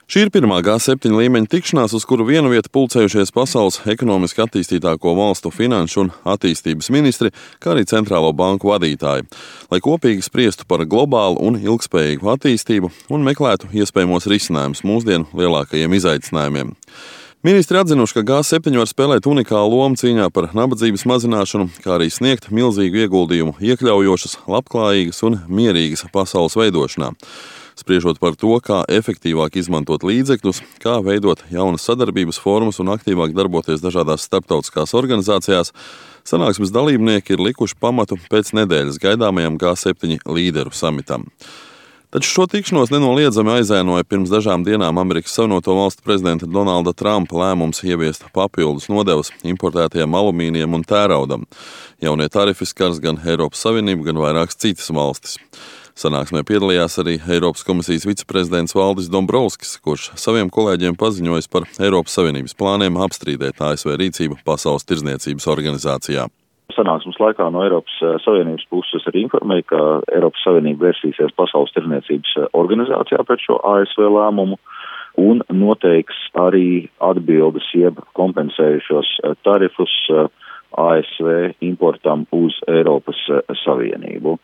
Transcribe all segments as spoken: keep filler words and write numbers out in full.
Šī ir pirmā G septiņi līmeņa tikšanās, uz kuru vienu vietu pulcējušies pasaules ekonomiski attīstītāko valstu finanšu un attīstības ministri, kā arī centrālo banku vadītāji, lai kopīgi spriestu par globālu un ilgspējīgu attīstību un meklētu iespējamos risinājumus mūsdienu lielākajiem izaicinājumiem. Ministri atzinuši, ka G septiņi var spēlēt unikālu lomu cīņā par nabadzības mazināšanu, kā arī sniegt milzīgu ieguldījumu iekļaujošas, labklājīgas un mierīgas pasaules veidošanā. Spriežot par to, kā efektīvāk izmantot līdzekļus, kā veidot jaunas sadarbības formas un aktīvāk darboties dažādās starptautiskās organizācijās, sanāksmes dalībnieki ir likuši pamatu pēc nedēļas gaidāmajam G septiņi līderu samitam. Taču šo tikšanos nenoliedzami aizēnoja pirms dažām dienām Amerikas Savienoto Valstu prezidenta Donalda Trumpa lēmums ieviest papildus nodevas importētajam alumīnijam un tēraudam. Jaunie tarifi skars gan Eiropas Savienību, gan vairākas citas valstis. Sanāksmē piedalījās arī Eiropas komisijas viceprezidents Valdis Dombrovskis, kurš saviem kolēģiem paziņojis par Eiropas Savienības plāniem apstrīdēt A S V rīcību Pasaules tirdzniecības organizācijā. Sanāksmes laikā no Eiropas Savienības puses arī informēja, ka Eiropas Savienība vērsīsies Pasaules tirdzniecības organizācijā pret šo A S V lēmumu un noteiks arī atbildes jeb kompensējušos tarifus A S V importam uz Eiropas Savienību.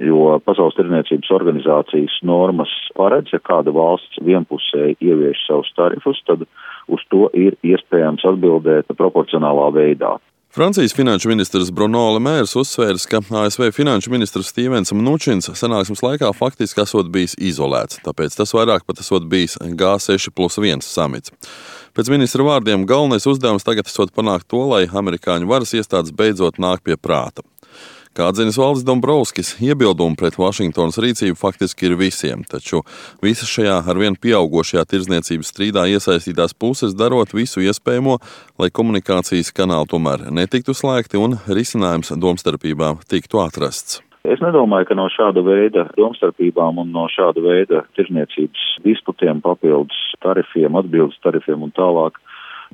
Jo Pasaules tirdzniecības organizācijas normas paredz, ja kāda valsts vienpusēji ievieš savus tarifus, tad uz to ir iespējams atbildēt proporcionālā veidā. Francijas finanšu ministrs Bruno Le Maire uzsvērs, ka A S V finanšu ministrs Stevens Mnučins sanāksmes laikā faktiski esot bijis izolēts, tāpēc tas vairāk pat esot bijis G seši plus viens samits. Pēc ministra vārdiem galvenais uzdevums tagad esot panākt to, lai amerikāņu varas iestādes beidzot nāk pie prāta. Kā atzinis Valdis Dombrovskis, iebildumi pret Vašingtonas rīcību faktiski ir visiem, taču visas šajā arvien pieaugošajā tirdzniecības strīdā iesaistītās puses darot visu iespējamo, lai komunikācijas kanāli tomēr netiktu slēgti un risinājums domstarpībām tiktu atrasts. Es nedomāju, ka no šāda veida domstarpībām un no šāda veida tirdzniecības disputiem, papildus tarifiem, atbildes tarifiem un tālāk,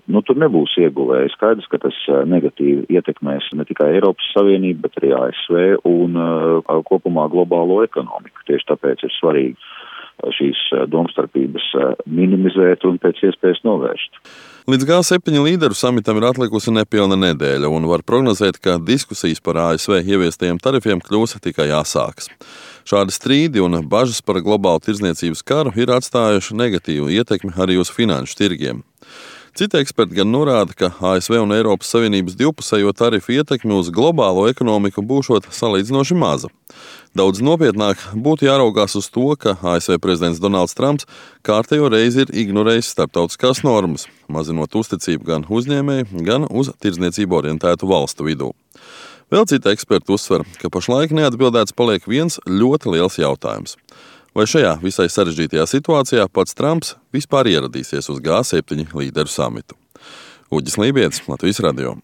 Nu, tur nebūs ieguvēji. Skaidrs, ka tas negatīvi ietekmēs ne tikai Eiropas Savienību, bet arī A S V un uh, kopumā globālo ekonomiku. Tieši tāpēc ir svarīgi šīs domstarpības minimizēt un pēc iespējas novērst. Līdz G septiņi līderu samitam ir atlikusi nepilna nedēļa un var prognozēt, ka diskusijas par A S V ieviestajiem tarifiem kļūs tikai asākas. Šādi strīdi un bažas par globālu tirdzniecības karu ir atstājuši negatīvu ietekmi arī uz finanšu tirgiem. Citi eksperti gan norāda, ka A S V un Eiropas Savienības divpusējo tarifu ietekmi uz globālo ekonomiku būšot salīdzinoši maza. Daudz nopietnāk būtu jāraugās uz to, ka A S V prezidents Donalds Trumps kārtējo reizi ir ignorējis starptautiskās normas, mazinot uzticību gan uzņēmēju, gan uz tirdzniecību orientētu valstu vidū. Vēl citi eksperti uzsver, ka pašlaik neatbildēts paliek viens ļoti liels jautājums. Vai šajā visai sarežģītajā situācijā pats Trumps vispār ieradīsies uz G septiņi līderu samitu? Uģis Lībietis, Latvijas radio.